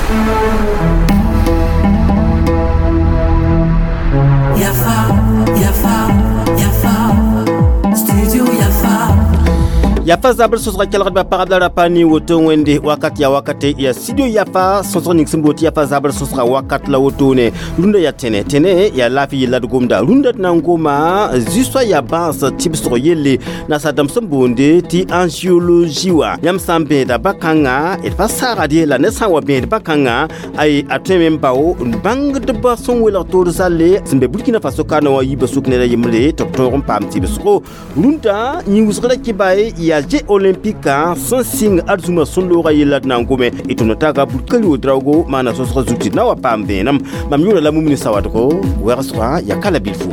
Yafa, Yafa, Yafa, Studio Yafa. Yafa zabr sõsga kelgdbã pagb la rapa ne woto wẽnde wakat ya wakate ya studio Yafa sõsg ning sẽn boot Yafa zabr sõsga wakat la wotone rũndã yaa tẽne tẽne yaa laafɩ yella d gomda rũndã d na n goma zu-soa yaa bãas tɩbsg yelle nasaar-dãmb sẽn boonde tɩ angiologie wã yãmb sã n bẽeda bã-kãngã d pa saagd ye la ned sã n wa bẽed bã-kãngã ay a tõeme n bao n bãngdbã sẽn welg toor zalle sẽn be Burkina Faso kaana wã yiibã sʋk ned a yembre tɩ b tõog n paam tɩbsgo rũndã yĩn-wʋsg ra kɩ yaa Jeux olympique sẽn sɩng arzũma sẽn-loogã yella d na n gome y tõnd taga Burkali Ouedraogo maana sõsg zut tɩ d na wa paam vẽenem mam yʋʋra la Mumini Sawadgo wɛgsgã yaa ka la bilfu.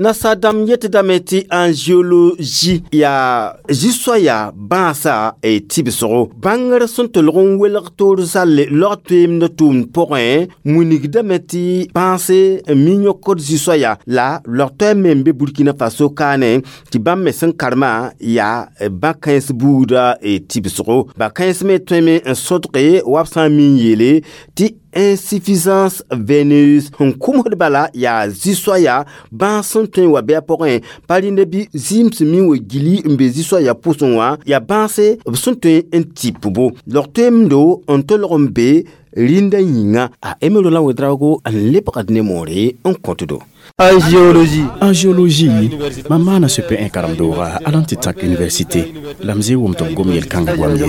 Nasaar-dãmb yetdame tɩ angiologie yaa zu-soaya bãasa tɩbsgo bãngr sẽn tolg n welg toor zalle laog toeemd tʋʋmd pʋgẽ wilgdame tɩ bãase n mi yõkd zu-soaya la laog toɛɛm me n be Burkina Faso kaane tɩ bãmb me sẽn karema yaa bã-kãens buuda tɩbsgo bã-kãens me tõeme n sõdge wa b sã n mi n yeele tɩ insuffisance veineuse sẽn kʋmsd bala yaa zu-soaya bãas sẽn tõe n wa bɩ a pʋgẽ pa rĩndã bɩ zɩɩm sẽn mi n wa gili n be zu-soaya pʋsẽ wã yaa bãase b sẽn tõe n tɩpbo log toeemdo n tolg n be rĩndã yĩnga a Emero la Ouedraogo n lebgd ne moore n kõtdo. Angiologie. Angiologie, mam maana sẽn n karem-dooga alã tɩ tãk université la m zɩ wʋm tɩ b gom yel-kãngã goam ye.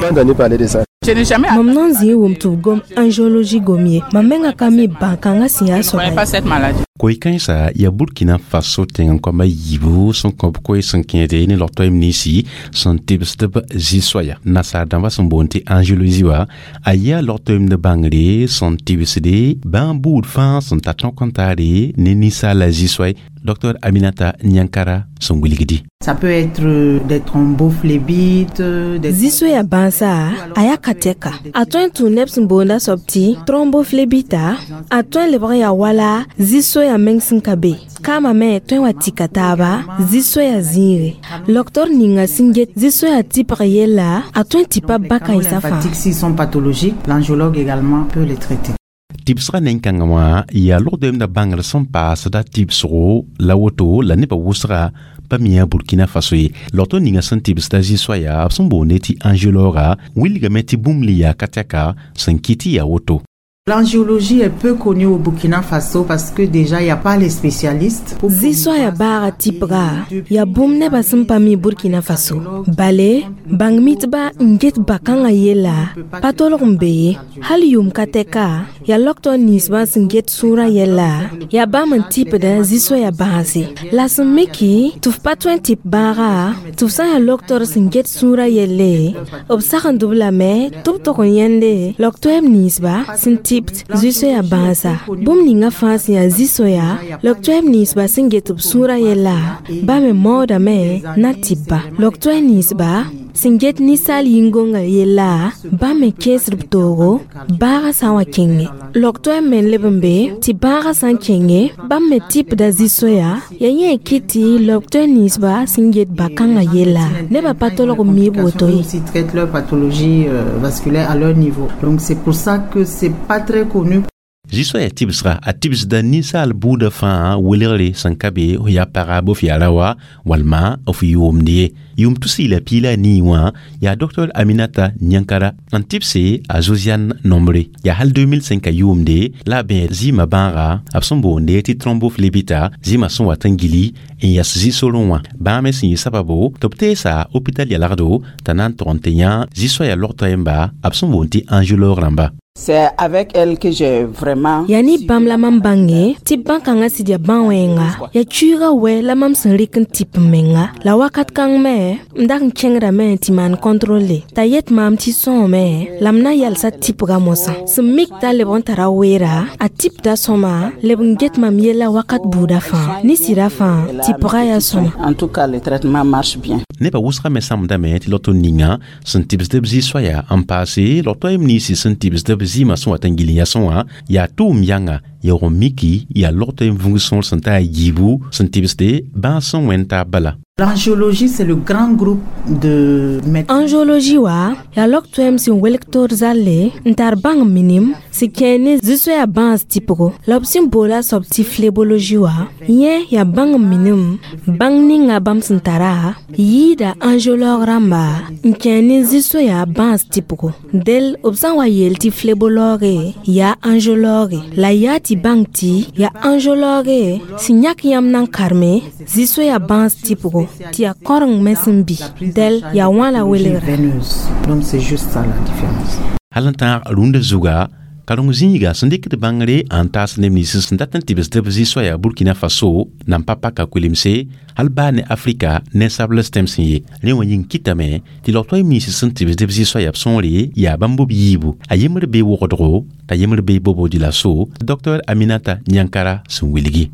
Mam nan zĩ wʋm tɩ b gom angiologie gom ye mam menga ka mi bãn-kãngã sẽn yaa soaba ye. Koe-kãensã yaa Burkina Faso tẽng n koama yiibu sẽn kõ b koe sẽn kẽede ne log-toɛɛm ninsi sẽn tɩbsd b zĩ-soaya nasaar-dãmbã sẽn boond tɩ angiologie wã a yaa log-toeemd bãngre sẽn tɩbsde bãmb buud fãa sẽn tar tõk n taare ne ninsaala zĩ-soay. Docteur Aminata Nyankara sẽn wilgdi. Ça peut être des thrombophlébite, des Zu-soaya bãasa a yaa ka tɛka a tõe n tũ neb sẽn boonda soab tɩ thrombophlébita a tõe n lebg n yaa wala zu-soaya meng sẽn ka be kaamã me tõe n wa tika taaba zu-soaya zĩige loktor ninga sẽn get zu-soaya tɩpg yella a tõe n tɩpa bã-kãensã fãa. S'ils sont pathologiques, l'angiologue également peut les traiter. Tɩbsgã nen-kãngã wã yaa log-doeemdã bãngr sẽn paasda tɩbsgo la woto la nebã wʋsga pa mi yaa Burkina Faso ye log-to ninga sẽn tɩbsda zĩ-soaya b sẽn boonde tɩ angiologa wilgame tɩ bũmb le yaa ka tɛka sẽn kɩt tɩ yaa woto. L'angiologie est peu connue au Burkina Faso parce que déjà il n'y a pas les spécialistes. Zu-soaya baaga tɩpga yaa bũmb nebã sẽn pa mi Burkina Faso bale bãng mitba n get bã-kãngã yella pa tolg n be ye hal yʋʋm ka tɛka yaa loktor ninsbã sẽn get sũurã yella yaa bãmb n tɩpdã zu-soaya bãase la sẽn miki tɩ f pa tõe n tɩp bãaga tɩ f sã n yaa loktor sẽn get sũurã yelle b sagend b lame tɩ b tog n yẽnde log-toɛɛm ninsba sẽn tɩpt zu-soaya bãasa bũmb ninga fãa sẽn yaa zu-soaya log-toɛɛm ninsba sẽn get b sũurã yella ba me maoodame na tɩp-ba log-toɛɛ ninsba sẽn get ninsaal yĩn-gõngã yella bãmb me kẽesd b toogo bãagã sã n wa kẽnge log-toɛɛm me n leb n be tɩ bãagã sã n kẽnge bãmb me tɩpda zu-soaya yaa yẽ kɩt tɩ log-toɛɛ ninsba sẽn get bã-kãngã yella nebã pa tolg n miib woto ye. Aussi traitent leur pathologie vasculaire à leur niveau. Donc c'est pour ça que c'est pas très connu. Zu-soaya tɩbsga a tɩbsda ninsaal buudã fãa welgre sẽn ka be f yaa paga bɩ f yaa raoã walma f yʋʋmd ye yʋʋm tus la piig la a nii wã yaa Dr Aminata Nyankara n tɩbse a Josiane nombre yaa hal 2005 a yʋʋmde la a bẽed zɩɩmã bãaga b sẽn boonde tɩ thrombophlébita zɩɩmã sẽn wat n gili n yas zĩ-sorẽ wã bãa me sẽn yɩ sababo tɩ b teesa hôpital yalgdo t'a na n tog n tɩ yã zĩ-soaya log-toɛɛmba b sẽn boond tɩ angiologue rãmba. C'est avec elle que j'ai vraiment Yaa ne bãmb la mam bãnge tɩ bãn-kãngã sɩd yaa bã-wẽnga yaa cuiigã wɛ la mam sẽn rɩk n tɩp n menga la wakat kãng me m dag n kẽngdame tɩ maan contrôle t'a yet maam tɩ sõome la m na yalsa tɩpga mosã sẽn mik t'a leb n tara weera a tɩpda sõma leb n get mam yella wakat buudã fãa ne sɩda fãa tɩpga yaa sõma. En tout cas, le traitement marche bien. Nebã wʋsgã me sãmbdame tɩ log-to ninga sẽn tɩbsd b zĩ-soaya n paase log-toɛɛm ninsi sẽn tɩbsd b zɩɩmã sẽn wat n gil n yasẽ wã yaa tʋʋm yãnga yaoog n miki yaa log-toɛɛm vũng sõor sẽn ta a yiibu sẽn tɩbsde bãas sẽn wẽnd taab bala. L'angiologie, c'est le grand groupe de médecins. Angiologie wa yaa log-toɛɛm sẽn welg toor zalle n tar bãng minim sẽn kẽer ne zu-soɛɛya bãas tɩpgo la b sẽn boola soab tɩ phlébologie wã yẽ yaa bãng minim bãng ninga bãmb sẽn tara yɩɩda angiologue rãmba n kẽer ne zu-soɛɛya bãas tɩpgo del b sã n wa yeel tɩ phlébologue yaa angiologue la yaa tɩ bãng tɩ yaa angiologue sẽn yãk yãmb na n karme zu-soɛɛya bãas tɩpgo tɩ yaa kãoreng me sẽn bɩ del yaa wã la welgra. Veineuse. Donc c'est juste ça la différence. Hal n tãag rũndã zuga kareng zĩiga sẽn dɩkd bãngre n taas neb nins sẽn dat n tɩbsd b zĩ-soaya Burkina Faso nan pa paka kolemse hal baa ne Afrika ninsabls tẽms ye rẽ wã yĩng kɩtame tɩ log-toɛɛm nins sẽn tɩbsd b zĩ-soaya b sõore yaa bãmb b yiibu a yembr bee wogdgo t'a yembr bee Bobo Dioulasso Dr Aminata Niankara sẽn wilgi.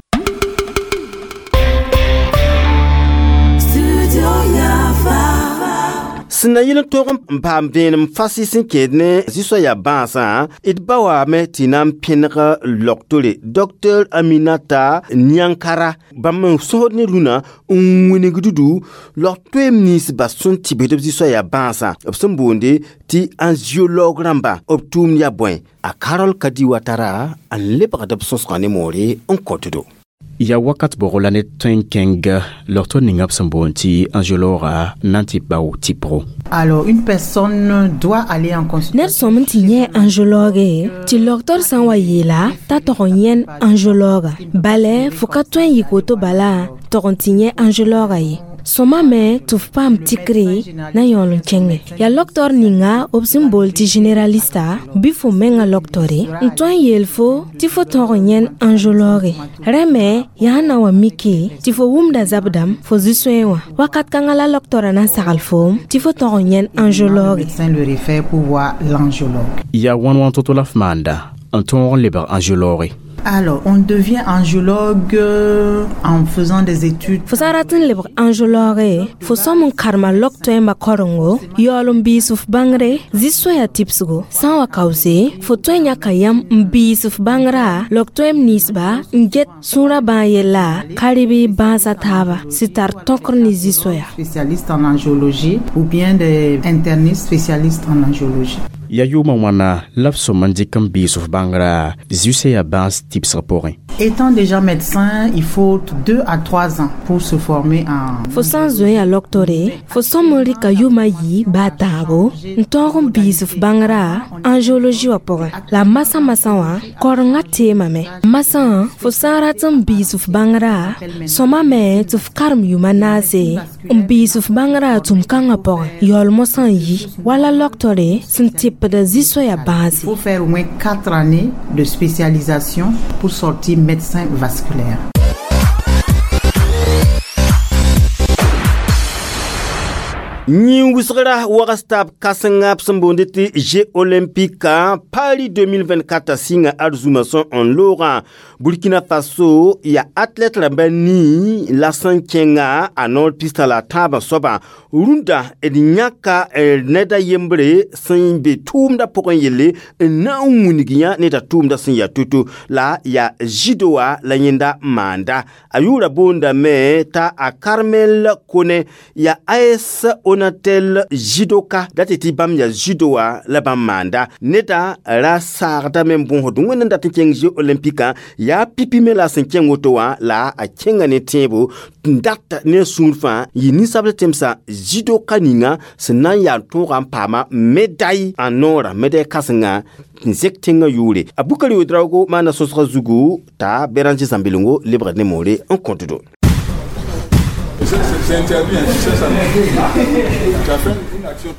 Sẽn na yɩl n tog n paam vẽenem fasɩ sẽn kẽed ne zu-soaya bãasã d ba waame tɩ na n pẽneg logtore Dr Aminata Niankara bãmb n sõsd ne rũnã n wingd dudu log-toeem ninsba sẽn tɩbsd b zu-soaya bãasã b sẽn boonde tɩ angiologue rãmba b tʋʋmd yaa bõe a Carol Kadi Watara n lebgd b sõsgã ne moore n kõtdo. Ya wakat bʋgo la ne tõe n kẽng logto ninga b sẽn boond tɩ angiologa na n tɩ bao tɩpgo. Alors, une personne doit aller en consultation. Ned sõm n tɩ yẽ angiologue tɩ logtor sã n wa yeela t'a tog n yẽn angiologa bala fo ka tõe n yik woto bala tog n tɩ yẽ angiologa ye sõma me tɩ f paam tikre na yõol n kẽnge yaa logtor ninga b sẽn bool tɩ généralista bɩ fo menga logtore n tõe n yeel fo tɩ fo tõog n yẽn angiologue rẽ me yaa na wa miki tɩ fo wʋmda zabdam fo zu-soẽ wã wakat kãngã la logtora na n sagl foom tɩ fo tõog n yẽn Le angiologue. médecin le réfère pour voir l'angiologue. Yaa wãn wãn to-to la f maanda n tõog n lebg angiologue. Alors, on devient angiologue en faisant des études. Fo sã n rat n lebg angiologue fo sõm n karema log-toɛɛmbã karengo yaool n biis f bãngre zĩ-soɛɛya tɩbsgo sã n wa kaoose fo tõe n yãka yãmb n biis f bãngrã log-toɛɛm ninsba n get sũurã bãag yella ka rɩ bãasã taaba sẽn tar tõkr ne zĩ-soɛɛya. Spécialistes en angiologie ou bien des internistes spécialistes en angiologie. Ya yʋʋmã wãna la b sõm n dɩk n biis f bãngrã zu-soɛɛya bãas tɩbsg pʋgẽ. Étant déjà médecin, il faut 2 à 3 ans pour se former en... Fo sã n zoe yaa logtore fo sõm n rɩka yʋʋm a yi baa tãabo n tõog n biis f bãngrã angiologie wã pʋgẽ la masã masã wã kaorengã teemame masã fo sã n rat n biis f bãngrã sõma me tɩ f karem yʋʋm a naase n biis f bãngrã tũm-kãngã pʋgẽ yaool mosã n yi wala logtore sẽn tɩpda zu-soɛɛya bãase. Il faut faire au moins 4 années de spécialisation pour sortir médecin vasculaire. Yĩn wʋsgra wags tab kãsenga b sẽn boonde tɩ Jeux olympique Paris 2024 sɩnga arzũma sõ n loogã Burkina Faso yaa athlète rãmba nii la sẽn kẽnga a noor pista la tãabã soabã rũndã d yãka ned a yembre sẽn be tʋʋmdã pʋgẽ yelle n na n wilg yã neda tʋʋmdã sẽn yaa to-to la yaa judo wã la yẽnda maanda a yʋʋra boondame t'a a Carmel Kone yaa AS Onatel judoka dat tɩ bãmb yaa judo wã la bãmb maanda neda ra saagdame n bõosd wẽnd n dat n kẽng jeux olympique yaa pipi me la sẽn kẽng woto wã la a kẽnga ne tẽebo n dat ne sũur fãa yɩ ninsabl tẽmsã judoka ninga sẽn na n yaa tõoga n paama médaille a noorã médaille kãsenga n zek tẽngã yʋʋre a Bukari Ouedraogo maana sõsgã zugu t'a Béranger Zãmbelengo lebgd ne moore n kõtdo.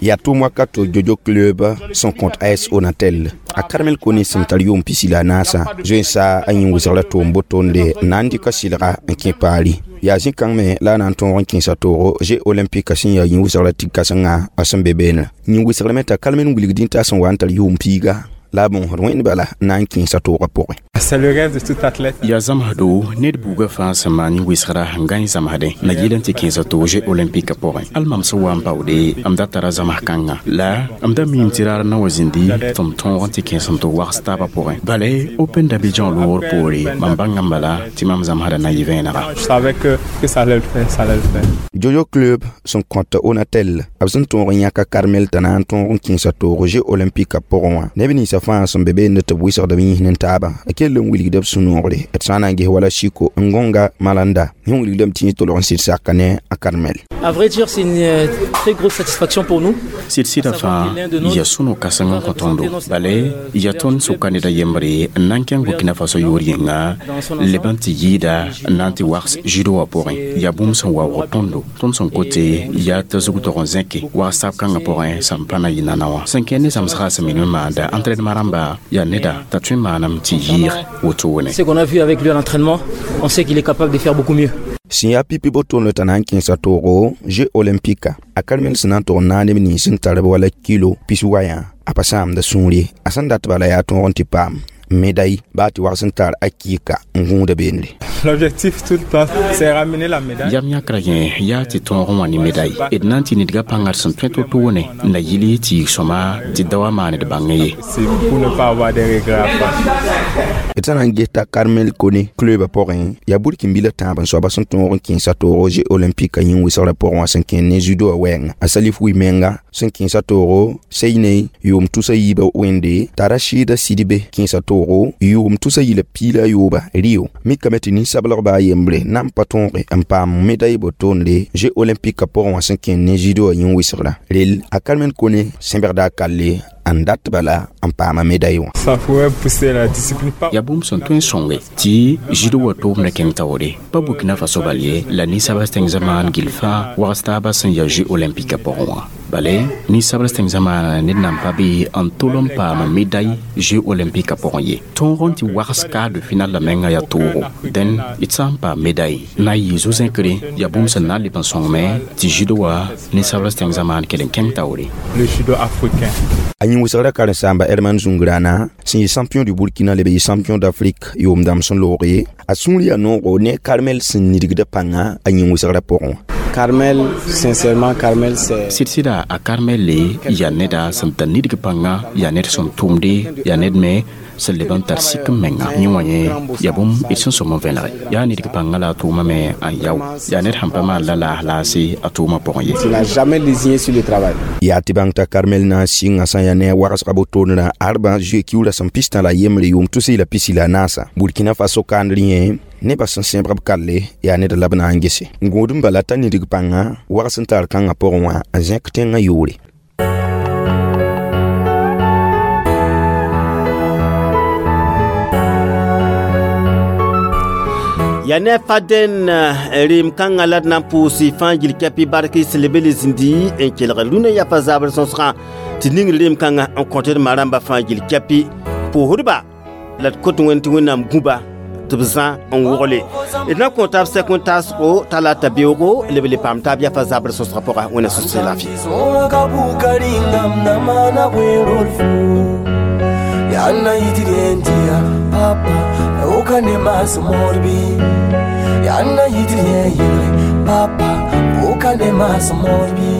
Yaa tʋʋm wakato Jojo Club sẽn kõt AS Onatel a Carmel Kone sẽn tar yʋʋm pisi la a naasã zoensa a yĩn wʋsg la tʋʋm botonde n na n dɩka sɩlga n kẽ Paris yaa zĩ-kãng me la a na n tõog n kẽesa toogo Jeux olympique sẽn yaa yĩn wʋsg la tig kãsengã a sẽn be beene yĩn wʋsgrame t'a Carmel wilgdẽ t'a sẽn wa n tar yʋʋm piiga La a bõosd wẽnd bala n na n kẽesa toogã pʋgẽ. C'est le rêve de tout athlète. Yaa zãmsdo ned buugã fãa sẽn maan yẽ-wɩsgra n gãe zãmsdẽ na yɩl n tɩ kẽesa toog Jeux olympique pʋgẽ. Al mam sẽn wa n baoode m da tara zãms kãnga la m da miime tɩ raar na wa zĩndi tɩ m tõog n tɩ kẽes n tɩ wags taabã pʋgẽ. Bala Open d'Abidjan loogr poore mam bãnga n bala tɩ mam zãmsda na yɩ vẽenega. Je savais que ça allait le faire, ça allait le faire. Jojo Club sẽn kõt Onatel b sẽn tõog n yãka Karmel t'a na n tõog n kẽesa toog Jeux olympique pʋgẽ wã. Neb ninsã fãa sẽn be beende tɩ b wɩsgd b yĩs ne taabã a kell n wilgda b sũ-noogre d sã n na n ges wala Siko Ngonga Malanda yẽ wilgdame tɩ yẽ tolg n sɩd saka ne a Karmel. À vrai dire, c'est une très grosse satisfaction pour nous. Sɩd-sɩdã fãa yaa sũ-no-kãseng n kõ tõndo. Bala yaa tõnd sʋka ned a yembre n na n kẽng Burkina Faso yʋʋr yĩnga leb n tɩ yɩɩda n na n tɩ wags judo wã pʋgẽ. Yaa bũmb sẽn waoog tõndo. Tõnd sẽn kote yaa t'a zug tog n zẽke wags tab kãngã pʋgẽ sẽn pa na yɩ nana wã. Sẽn kẽ ne zãmsgã sẽn minim n maanda entraînement rãmba yaa neda t'a tõe n maanam tɩ yɩɩg wotone. Ce qu'on a vu avec lui à l'entraînement, on sait qu'il est capable de faire beaucoup mieux. Sẽn yaa pipi botoonle t'a na n kẽesa toogo Jeux olympique a Karmel sẽn na n tog n naag neb nins sẽn tar b wala kilo pis wayã a pa sãamda sũur ye. A sẽn dat bala yaa tõog n tɩ paam médaille baa tɩ wags n tar a kɩɩka n gũuda beendre. L'objectif tout le temps, c'est ramener la médaille. Yam yãkrã yẽ yaa tɩ tõog n wã ne médaille. D na n tɩ nidgã pãnga d sẽn tõe to-toone na yɩl tɩ yik sõma tɩ da wa maan d bãngẽ ye. C'est pour ne pas avoir des regrets après. D sã na n ges t'a Karmel Kone clubã pʋgẽ yaa burkin-bilã tãab n soaba sẽn tõog n kẽesa toogo Jeux olympique yĩn-wɩsgrã pʋgẽ wã sẽn kẽnd ne judo wã wɛɛnga. A Salif Wi menga sẽn kẽesa toogo Seinei yʋʋm tusa yiibã wẽnde t'a Rachida Sidibe kẽesa toogo yʋʋm tusa yila piila a yooba Rio. Mikame tɩ nin-sablgba a yembre na n pa tõoge n paam médaille botoonde Jeux olympique pʋgẽ wã sẽn kẽnd ne judo wã yĩn-wɩsgrã. Rel a Karmel Kone sẽbgda a kalle n dat bala n paama médaille wã. Ça pourrait pousser la discipline. Pas Yaa bũmb sẽn tõe n sõnge tɩ judo wã toomdã kẽng taoore. Pa Burkina Faso bal ye la ninsabs tẽng zamaan gill fãa wags taabã sẽn yaa Jeux olympique pʋgẽ wã. Bala ninsabs tẽng zamaana ned nan pa be n tol n paam médaille Jeux olympique pʋgẽ ye. Tõog n tɩ wags quart de finale la menga yaa toogo. Dẽn d sã n paam médaille na n yɩ zo-zẽkre yaa bũmb sẽn na n leb n sõngme tɩ judo wã ninsabs tẽng zamaan kell n kẽng taoore. Le judo africain. A yĩn-wɩsgrã karen-saamba Herman Zungrana sẽn yɩ champion du Burkina leb yɩ champion d'Afrique yʋʋm dãmb sẽn looge a sũur yaa noogo ne Karmel sẽn nidgda pãnga a yĩn-wɩsgrã pʋgẽ wã. Carmel, sincèrement, Carmel, c'est. Sɩd-sɩda a Karmel le yaa neda sẽn tar nidg pãnga, yaa ned sẽn tʋmde, yaa ned me sẽn leb n tar sik n menga. Yẽ wã yẽ yaa bũmb d sẽn sõm n vẽnege. Yaa nidg pãnga la a tʋʋma me n yao. Yaa ned sẽn pa maan la laas laase a tʋʋmã pʋgẽ ye. Tu n'as jamais lésiné sur le travail. Yaa tɩ bãng t'a Karmel na n sɩnga sã n yaa ne a wagsga botoonrã arbã zoe kiuurã sẽn pistã la yembre yʋʋm tus la pisi la naasa. Burkina Faso kandr yẽ nebã sẽn sẽbg b kalle yaa ned la b na n gese. N gũud n bala t'a nidg pãnga wags n tar kãngã pʋgẽ wã n zẽk tẽngã yʋʋre. Yaa ne faden rem kãngã la d na n pʋʋs fãa gil kɛpɩ bark sẽn leb n le zĩndi n kelg rũnã yafa zabr sõsgã tɩ ning rem kãngã n kõt d ma-rãmbã fãa gil kɛpɩ pʋʋsdba la d kot wẽnd tɩ Wẽnnaam gũba tɩ b zã n wogle. D na n kõ taab sɛk n taasgo talata beoogo leb le paam taab yafa zabr sõsgã pʋga. Wẽnna sus laafɩ. Yana yitirientia papa okane masmorbi yana yitirienye papa okane masmorbi.